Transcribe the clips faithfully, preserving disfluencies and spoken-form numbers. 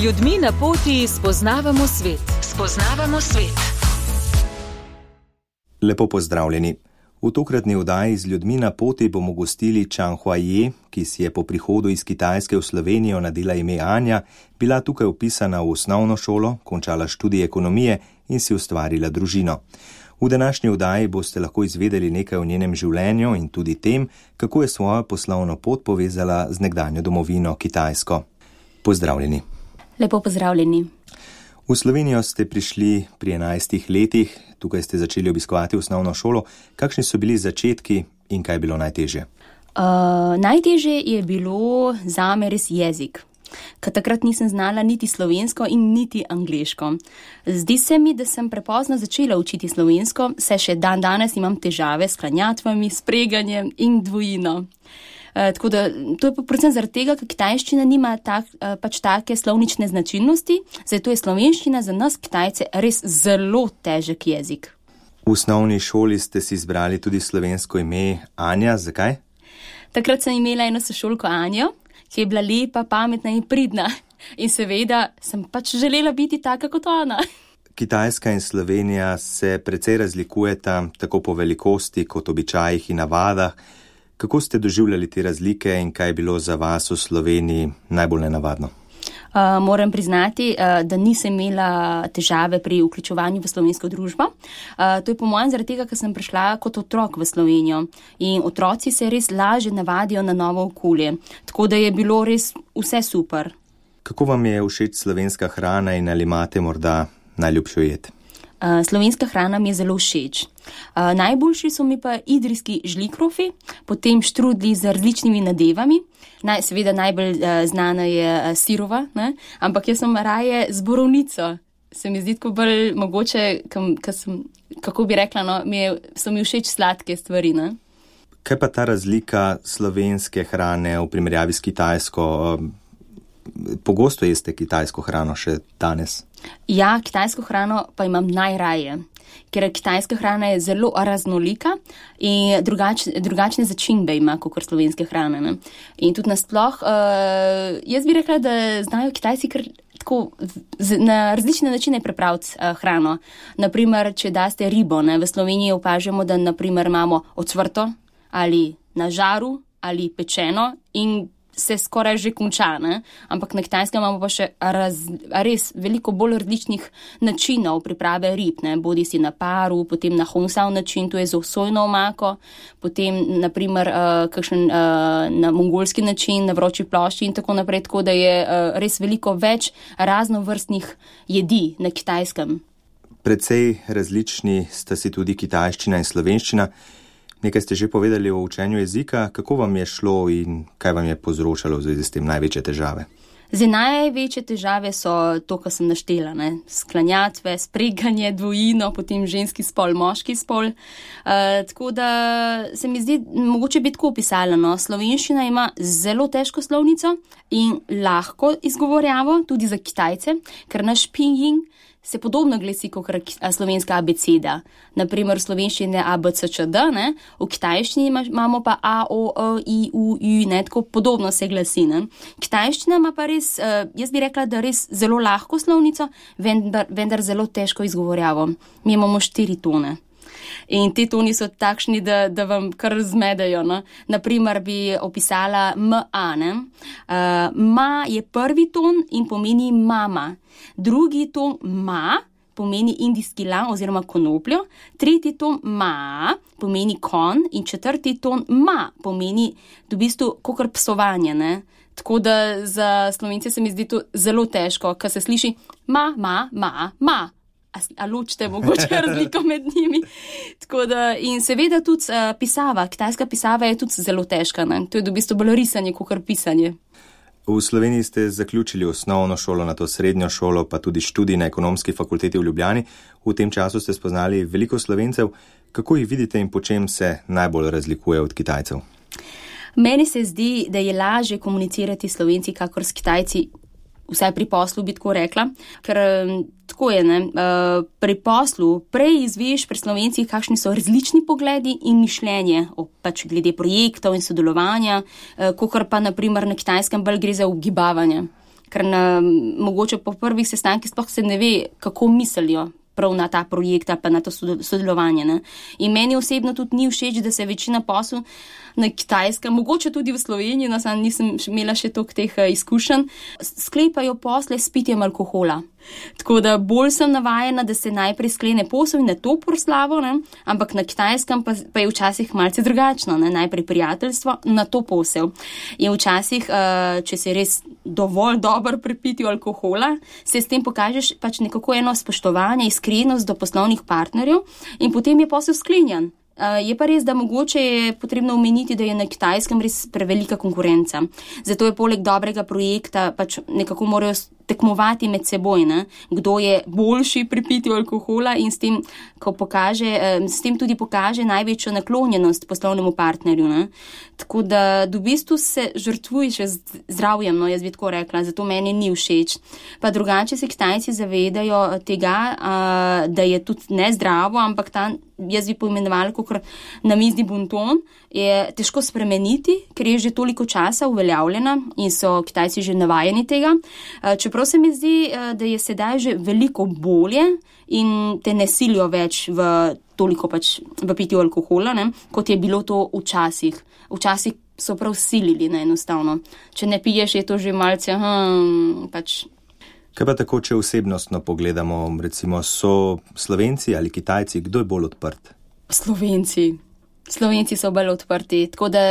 ljudmi na poti spoznavamo svet. Spoznavamo svet. Lepo pozdravljeni. V tokratni oddaji z ljudmi na poti bomo gostili Chang Huaye, ki si je po prihodu iz Kitajske v Slovenijo nadela ime Anja, bila tukaj vpisana v osnovno šolo, končala študij ekonomije in si ustvarila družino. V današnji oddaji boste lahko izvedeli nekaj o njenem življenju in tudi tem, kako je svojo poslovno pot povezala z nekdanjo domovino Kitajsko. Pozdravljeni. Lepo pozdravljeni. V Slovenijo ste prišli pri enajstih letih, tukaj ste začeli obiskovati osnovno šolo. Kakšni so bili začetki in kaj je bilo najtežje? Uh, najtežje je bilo zame res jezik, ker takrat nisem znala niti slovensko in niti angleško. Zdi se mi, da sem prepozno začela učiti slovensko, saj še dan danes imam težave s klanjatvami, s preganjem in dvojino. Uh, tako da, to je pa predvsem zaradi tega, ker kitajščina nima tak, uh, pač take slovnične značilnosti, zato je slovenščina za nas Kitajce res zelo težek jezik. V osnovni šoli ste si izbrali tudi slovensko ime Anja. Zakaj? Takrat sem imela eno sošolko Anjo, ki je bila lepa, pametna in pridna. In seveda sem pač želela biti taka kot ona. Kitajska in Slovenija se precej razlikujeta, tako po velikosti kot običajih in navadah. Kako ste doživljali te razlike in kaj je bilo za vas v Sloveniji najbolj nenavadno? Uh, moram priznati, uh, da nisem imela težave pri vključevanju v slovensko družbo. Uh, to je po mojem zaradi tega, ker sem prišla kot otrok v Slovenijo in otroci se res lažje navadijo na novo okolje. Tako da je bilo res vse super. Kako vam je všeč slovenska hrana in ali imate morda najljubšo jed? Uh, slovenska hrana mi je zelo všeč. Uh, najboljši so mi pa idrijski žlikrofi, potem štrudli z različnimi nadevami. Naj, seveda najbolj uh, znana je uh, sirova, ne? Ampak jaz sem raje z borovnico. Se mi zdi tako bolj mogoče, kam, sem, kako bi rekla, no, mi je, so mi všeč sladke stvari. Ne? Kaj pa ta razlika slovenske hrane v primerjavi s kitajsko? Pogosto jeste kitajsko hrano še danes? Ja, kitajsko hrano pa imam najraje, ker kitajska hrana je zelo raznolika in drugač, drugačne začimbe ima kot slovenske hrane. Ne? In tudi nasploh, uh, jaz bi rekla, da znajo Kitajci kar tako z, na različne načine pripraviti uh, hrano. Naprimer, če daste ribo, ne? V Sloveniji opažamo, da naprimer imamo ocvrto ali na žaru ali pečeno in se skoraj že konča, ne? Ampak na Kitajskem imamo pa še raz, res veliko bolj različnih načinov priprave rib, ne? Bodi si na paru, potem na hongsao način, to je z sojno omako, potem naprimer uh, kakšen uh, na mongolski način, na vroči plošči in tako naprej, tako da je uh, res veliko več raznovrstnih jedi na Kitajskem. Precej različni sta si tudi kitajščina in slovenščina. Nekaj ste že povedali o učenju jezika. Kako vam je šlo in kaj vam je povzročalo v zvezi s tem največje težave? Zdaj, največje težave so to, kar sem naštela, ne? Sklanjatve, spreganje, dvojino, potem ženski spol, moški spol. Uh, tako da se mi zdi, mogoče bi tako opisala, no? Slovenščina ima zelo težko slovnico in lahko izgovorjavo, tudi za Kitajce, ker naš pinyin se podobno glasi kot slovenska abeceda. Naprimer, v slovenščini je A, B, C, Č, D, ne? V kitajščini imamo pa A, O, E, I, U, Ü, ne? Tako podobno se glasi. Ne? Kitajščina ima pa res, jaz bi rekla, da res zelo lahko slovnico, vendar, vendar zelo težko izgovorjavo. Mi imamo štiri tone. In te toni so takšni, da, da vam kar zmedejo. No? Naprimer bi opisala M, A. Ne? Uh, ma je prvi ton in pomeni mama. Drugi ton ma pomeni indijski lan oziroma konopljo. Tretji ton ma pomeni kon in četrti ton ma pomeni v bistvu kakor psovanje. Ne? Tako da za Slovence se mi zdi to zelo težko, ker se sliši ma, ma, ma, ma. A ločite mogoče razliko med njimi. Tako da, in seveda tudi uh, pisava, kitajska pisava je tudi zelo težka. Ne? To je v bistvu bolj risanje, kot pisanje. V Sloveniji ste zaključili osnovno šolo, nato srednjo šolo, pa tudi študij na ekonomski fakulteti v Ljubljani. V tem času ste spoznali veliko Slovencev. Kako jih vidite in po čem se najbolj razlikuje od Kitajcev? Meni se zdi, da je lažje komunicirati s Slovenci, kakor s Kitajci. Vsaj pri poslu bi tako rekla, ker tako je, ne, pri poslu prej izveš pri Slovencih, kakšni so različni pogledi in mišljenje, pač glede projektov in sodelovanja, kakor pa naprimer na Kitajskem bolj gre za ugibavanje. ker na, mogoče po prvih sestankih sploh se ne ve, kako mislijo prav na ta projekt, pa na to sodelovanje. Ne. In meni osebno tudi ni všeč, da se večina posel na Kitajskem, mogoče tudi v Sloveniji, no sam nisem imela še toliko teh izkušenj, sklepajo posle s pitjem alkohola. Tako da bolj sem navajena, da se najprej sklene posel in na to proslavo, ne? Ampak na Kitajskem pa, pa je včasih malce drugačno, ne? Najprej prijateljstvo, na to posel. In včasih, če se res dovolj dobro pri pitju alkohola, se s tem pokažeš pač nekako eno spoštovanje, iskrenost do poslovnih partnerjev in potem je posel sklenjen. Uh, je pa res, da mogoče je potrebno omeniti, da je na Kitajskem res prevelika konkurenca. Zato je poleg dobrega projekta pač nekako morajo tekmovati med seboj, ne? Kdo je boljši pri pitju alkohola in s tem, ko pokaže, eh, s tem tudi pokaže največjo naklonjenost poslovnemu partnerju. Ne? Tako da v bistvu se žrtvuješ zdravjem, no, jaz bi tako rekla, zato meni ni všeč. Pa drugače se Kitajci zavedajo tega, uh, da je tudi nezdravo, ampak ta, jaz bi poimenovala kot namizni bonton, je težko spremeniti, ker je že toliko časa uveljavljena in so Kitajci že navajeni tega. Čeprav se mi zdi, da je sedaj že veliko bolje in te ne silijo več v toliko pač v pitju alkohola, ne, kot je bilo to včasih. Včasih so prav silili, ne, enostavno. Če ne piješ, je to že malce, hm, pač. Kaj pa tako, če osebnostno pogledamo, recimo, so Slovenci ali Kitajci, kdo je bolj odprt? Slovenci. Slovenci so bolj odprti, tako da,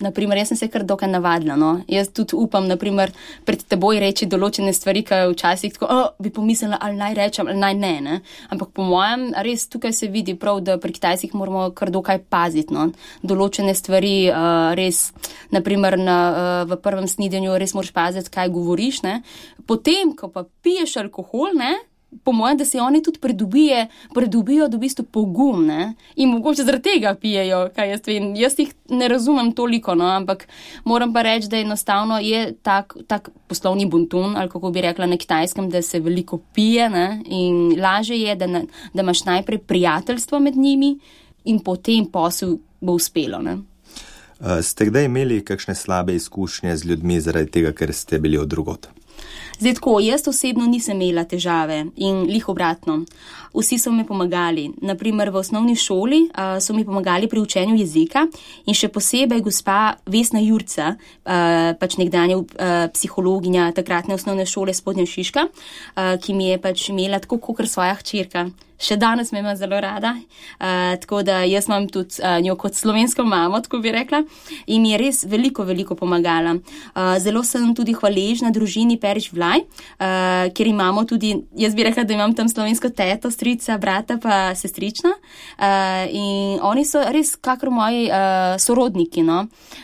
naprimer, jaz sem se kar dokaj navadila, no. Jaz tudi upam, naprimer, pred teboj reči določene stvari, ki včasih tako, oh, bi pomislila, ali naj rečem, ali naj ne, ne. Ampak po mojem, res tukaj se vidi prav, da pri Kitajcih moramo kar dokaj paziti, no. Določene stvari, uh, res, naprimer, na, uh, v prvem snidenju res moraš paziti, kaj govoriš, ne. Potem, ko pa piješ alkohol, ne, po mojem, da se oni tudi pridobije, pridobijo v bistvu pogum, ne, in mogoče zaradi tega pijejo, kaj jaz vem. Jaz jih ne razumem toliko, no, ampak moram pa reči, da enostavno je tak, tak poslovni bonton, ali kako bi rekla na Kitajskem, da se veliko pije, ne, in laže je, da, na, da imaš najprej prijateljstvo med njimi in potem posel bo uspelo, ne. Uh, ste kdaj imeli kakšne slabe izkušnje z ljudmi zaradi tega, ker ste bili od drugot? Zdaj tako, jaz osebno nisem imela težave in lih obratno. Vsi so mi pomagali. Naprimer, v osnovni šoli uh, so mi pomagali pri učenju jezika in še posebej gospa Vesna Jurca, uh, pač nekdanja uh, psihologinja takratne osnovne šole Spodnja Šiška, uh, ki mi je pač imela tako kakor svoja hčerka. Še danes me ima zelo rada, uh, tako da jaz imam tudi uh, njo kot slovensko mamo, tako bi rekla, in mi je res veliko, veliko pomagala. Uh, zelo sem tudi hvaležna družini Perič Vlaj, uh, ker imamo tudi, jaz bi rekla, da imam tam slovensko teto, strica, brata pa sestrična, uh, in oni so res kakor moji uh, sorodniki, no.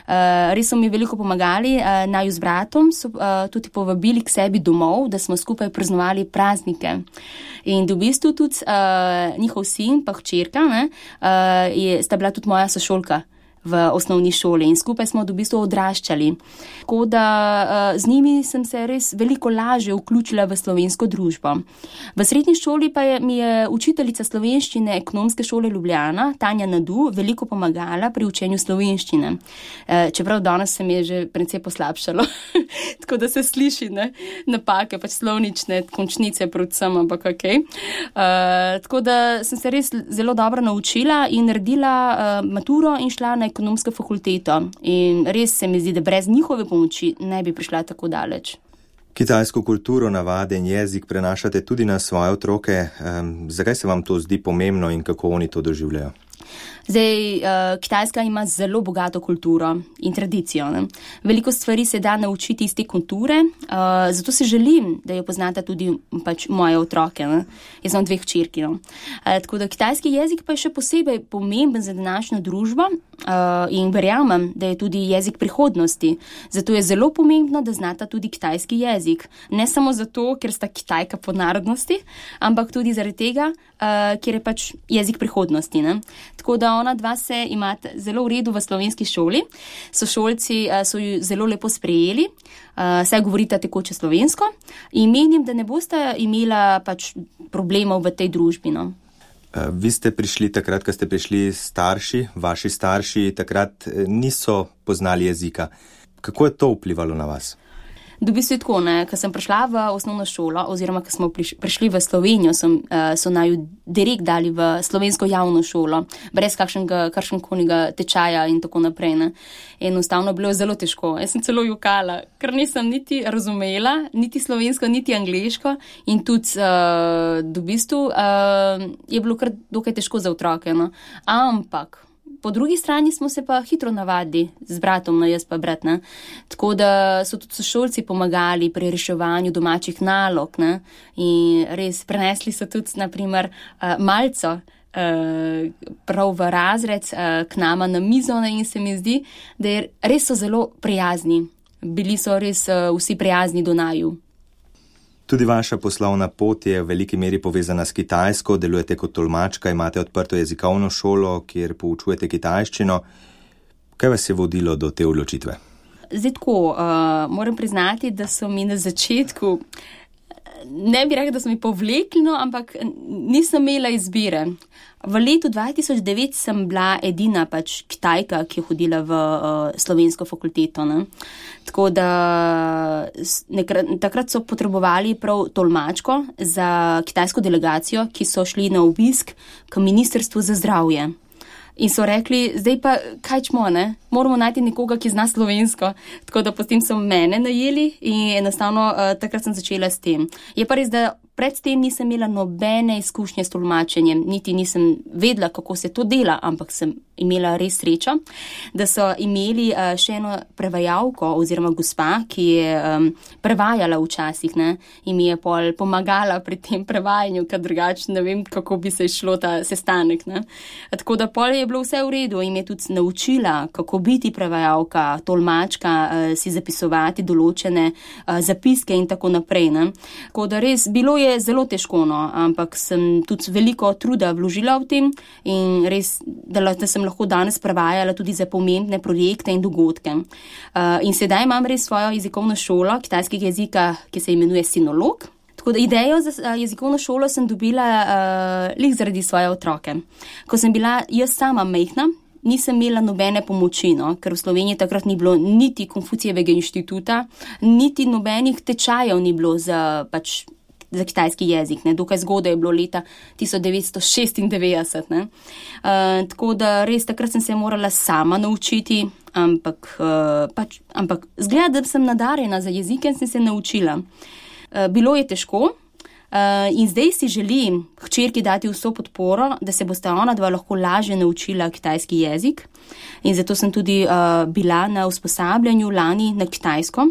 Uh, res so mi veliko pomagali, uh, naju z bratom so uh, tudi povabili k sebi domov, da smo skupaj praznovali praznike. In v bistvu tudi uh, njihov sin pa hčerka, ne, uh, je, sta bila tudi moja sošolka v osnovni šoli in skupaj smo v bistvu odraščali. Tako da uh, z njimi sem se res veliko lažje vključila v slovensko družbo. V srednji šoli pa je, mi je učiteljica slovenščine Ekonomske šole Ljubljana, Tanja Nadu, veliko pomagala pri učenju slovenščine. Uh, čeprav danes se mi je že precej poslabšalo, tako da se sliši, ne, napake, pač slovnične, končnice predvsem, ampak okej. Okay. Uh, tako da sem se res zelo dobro naučila in naredila uh, maturo in šla na ekonomsko fakulteto in res se mi zdi, da brez njihove pomoči ne bi prišla tako daleč. Kitajsko kulturo, navade in jezik prenašate tudi na svoje otroke. Um, zakaj se vam to zdi pomembno in kako oni to doživljajo? Zdaj, uh, Kitajska ima zelo bogato kulturo in tradicijo, ne. Veliko stvari se da naučiti iz te kulture, uh, zato se želim, da jo poznata tudi pač moje otroke, ne. Jaz imam dve hčerki, no. Uh, tako da kitajski jezik pa je še posebej pomemben za današnjo družbo uh, in verjamem, da je tudi jezik prihodnosti. Zato je zelo pomembno, da znata tudi kitajski jezik. Ne samo zato, ker sta Kitajka po narodnosti, ampak tudi zaradi tega, uh, ker je pač jezik prihodnosti, ne. Tako da ona dva se imata zelo v redu v slovenski šoli. Sošolci uh, so ju zelo lepo sprejeli, uh, saj govorita tekoče slovensko in menim, da ne boste imela pač problemov v tej družbi, no. Uh, vi ste prišli takrat, ko ste prišli starši, vaši starši takrat niso poznali jezika. Kako je to vplivalo na vas? V bistvu je tako, ne, ko sem prišla v osnovno šolo, oziroma ko smo prišli v Slovenijo, sem, so naju direkt dali v slovensko javno šolo, brez kakšnega, kakšnega tečaja in tako naprej. Ne. Enostavno bilo zelo težko. Jaz sem celo jokala, ker nisem niti razumela, niti slovensko, niti angleško in tudi uh, v bistvu uh, je bilo kar dokaj težko za otroke. No. Ampak po drugi strani smo se pa hitro navadili z bratom, no jaz pa brat, ne. Tako da so tudi sošolci pomagali pri reševanju domačih nalog, ne. In res prenesli so tudi, naprimer, malco prav v razred k nama na mizo, ne, in se mi zdi, da je, res so zelo prijazni. Bili so res vsi prijazni do naju. Tudi vaša poslovna pot je v veliki meri povezana s Kitajsko, delujete kot tolmačka, imate odprto jezikovno šolo, kjer poučujete kitajščino. Kaj vas je vodilo do te odločitve? Zdaj tako, uh, moram priznati, da so mi na začetku, ne bi rekla, da so mi povlekli, no, ampak nisem imela izbire. V letu dva tisoč devet sem bila edina pač Kitajka, ki je hodila v uh, slovensko fakulteto. Ne. Tako da nekrat, takrat so potrebovali prav tolmačko za kitajsko delegacijo, ki so šli na obisk k Ministrstvu za zdravje. In so rekli, zdaj pa kaj čmo, ne? Moramo najti nekoga, ki zna slovensko. Tako da potem so mene najeli in enostavno uh, takrat sem začela s tem. Je pa res, da pred tem nisem imela nobene izkušnje s tolmačenjem, niti nisem vedela, kako se to dela, ampak sem imela res srečo, da so imeli uh, še eno prevajalko oziroma gospa, ki je um, prevajala včasih, ne, in mi je pol pomagala pri tem prevajanju, ker drugače ne vem, kako bi se išlo ta sestanek, ne. Tako da pol je bilo vse v redu in me je tudi naučila, kako biti prevajalka, tolmačka, uh, si zapisovati določene uh, zapiske in tako naprej, ne. Tako da res bilo je zelo težko, no, ampak sem tudi veliko truda vložila v tem in res, da, da sem lahko danes prevajala tudi za pomembne projekte in dogodke. Uh, in sedaj imam res svojo jezikovno šolo kitajskega jezika, ki se imenuje Sinolog. Tako da idejo za uh, jezikovno šolo sem dobila uh, lih zaradi svoje otroke. Ko sem bila jaz sama majhna, nisem imela nobene pomoči, no, ker v Sloveniji takrat ni bilo niti Konfucijevega inštituta, niti nobenih tečajev ni bilo za pač za kitajski jezik, ne, dokaj zgodaj je bilo leta tisoč devetsto šestindevetdeset, ne. Uh, tako da res takrat sem se morala sama naučiti, ampak, uh, pač, ampak zgleda, da sem nadarjena za jezike in sem se naučila. Uh, bilo je težko uh, in zdaj si želim hčerki dati vso podporo, da se bosta ona dva lahko lažje naučila kitajski jezik in zato sem tudi uh, bila na usposabljanju lani na Kitajsko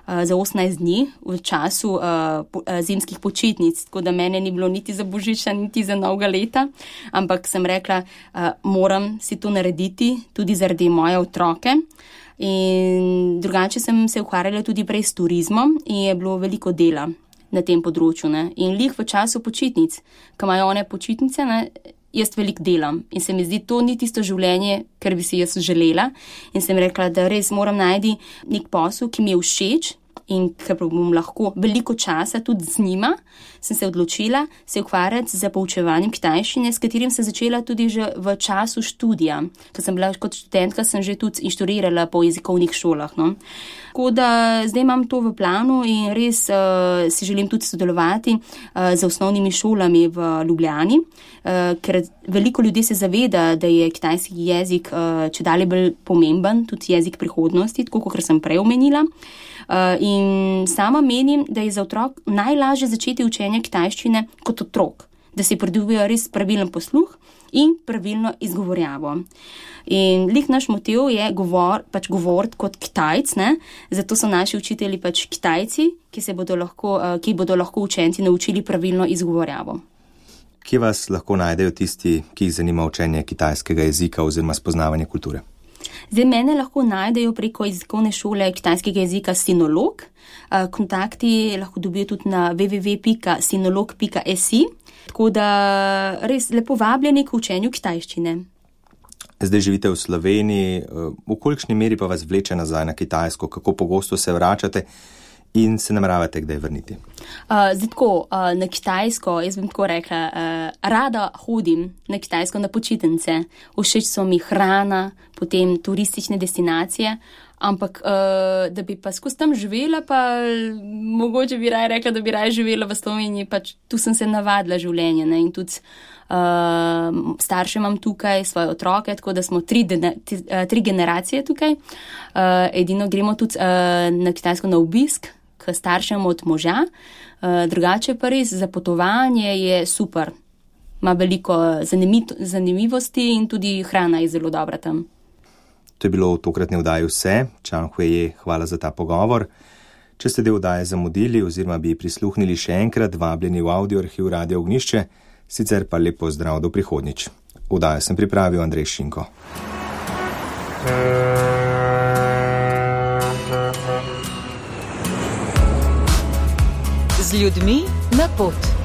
za osemnajst dni v času uh, po, uh, zimskih počitnic, tako da mene ni bilo niti za božiča, niti za novega leta, ampak sem rekla, uh, moram si to narediti tudi zaradi moje otroke. In drugače sem se ukvarjala tudi prej s turizmom in je bilo veliko dela na tem področju. Ne. In lih v času počitnic, ko imajo one počitnice, ne, jaz veliko delam in se mi zdi, to ni tisto življenje, kar bi si jaz želela in sem rekla, da res moram najti nek posel, ki mi je všeč in ker bom lahko veliko časa tudi z njima, sem se odločila se ukvarjati z poučevanjem kitajščine, s katerim sem začela tudi že v času študija. Ker sem bila kot študentka, sem že tudi inštruirala po jezikovnih šolah. No. Tako da zdaj imam to v planu in res uh, si želim tudi sodelovati uh, z osnovnimi šolami v Ljubljani, uh, ker veliko ljudi se zaveda, da je kitajski jezik uh, čedalje bolj pomemben, tudi jezik prihodnosti, tako kot sem prej omenila. Uh, in sama menim, da je za otrok najlažje začeti učenje kitajščine kot otrok, da si pridobijo res pravilen posluh in pravilno izgovorjavo. In lih naš motiv je govor, pač govoriti kot Kitajc, ne? Zato so naši učitelji pač Kitajci, ki, se bodo lahko, uh, ki bodo lahko učenci naučili pravilno izgovorjavo. Kje vas lahko najdejo tisti, ki jih zanima učenje kitajskega jezika oziroma spoznavanje kulture? Zdaj mene lahko najdejo preko jezikovne šole kitajskega jezika Sinolog. Kontakti lahko dobijo tudi na w w w pika sinolog pika s i. Tako da res lepo vabljeni k učenju kitajščine. Zdaj živite v Sloveniji, v kolikšni meri pa vas vleče nazaj na Kitajsko, kako pogosto se vračate in se nameravate kdaj vrniti? Uh, zdaj tako, uh, na Kitajsko, jaz bom tako rekla, uh, rada hodim na Kitajsko na počitnice. Všeč so mi hrana, potem turistične destinacije, Ampak, uh, da bi pa skozi tam živela, pa mogoče bi raje rekla, da bi raje živela v Sloveniji, pač tu sem se navadila življenje, ne, in tudi uh, starše imam tukaj, svoje otroke, tako da smo tri, dene, tri, uh, tri generacije tukaj. Uh, edino gremo tudi uh, na Kitajsko na obisk, k staršem od moža, uh, drugače pa res za potovanje je super. Ima veliko zanimivosti in tudi hrana je zelo dobra tam. To je bilo v tokratni oddaji vse. Čang Huiye, hvala za ta pogovor. Če ste del oddaje zamudili oziroma bi prisluhnili še enkrat, vabljeni v audio arhiv Radio Ognjišče, sicer pa lep pozdrav do prihodnjič. Oddajo sem pripravil Andrej Šinko. Z ljudmi na pot.